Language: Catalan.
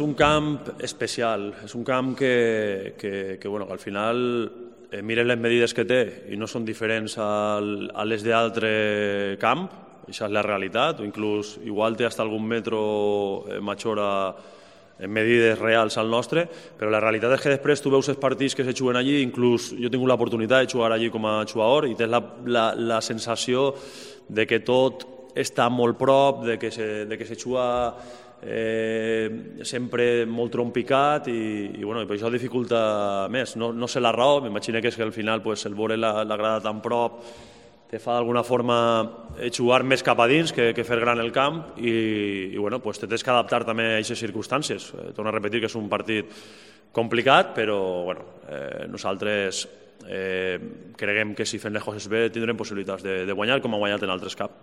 un camp especial, és un camp que al final mires les medides que té i no són diferents a les d'altre camp, això és la realitat, o inclús igual té fins algun metro major en medides reals al nostre, però la realitat és que després tu veus els partits que se juguen allí, inclús jo he tingut l'oportunitat de jugar allí com a jugador i tens la sensació de que tot està molt prop, de que se juga sempre molt trompicat i per això dificulta més. No sé la raó, m'imagino que és que al final el veure la grada tan prop te fa d'alguna forma jugar més cap a dins que fer gran el camp i te tens que adaptar també a aquestes circumstàncies. Torno a repetir que és un partit complicat, però nosaltres creguem que si fem les coses bé tindrem possibilitats de guanyar com ha guanyat en altres caps.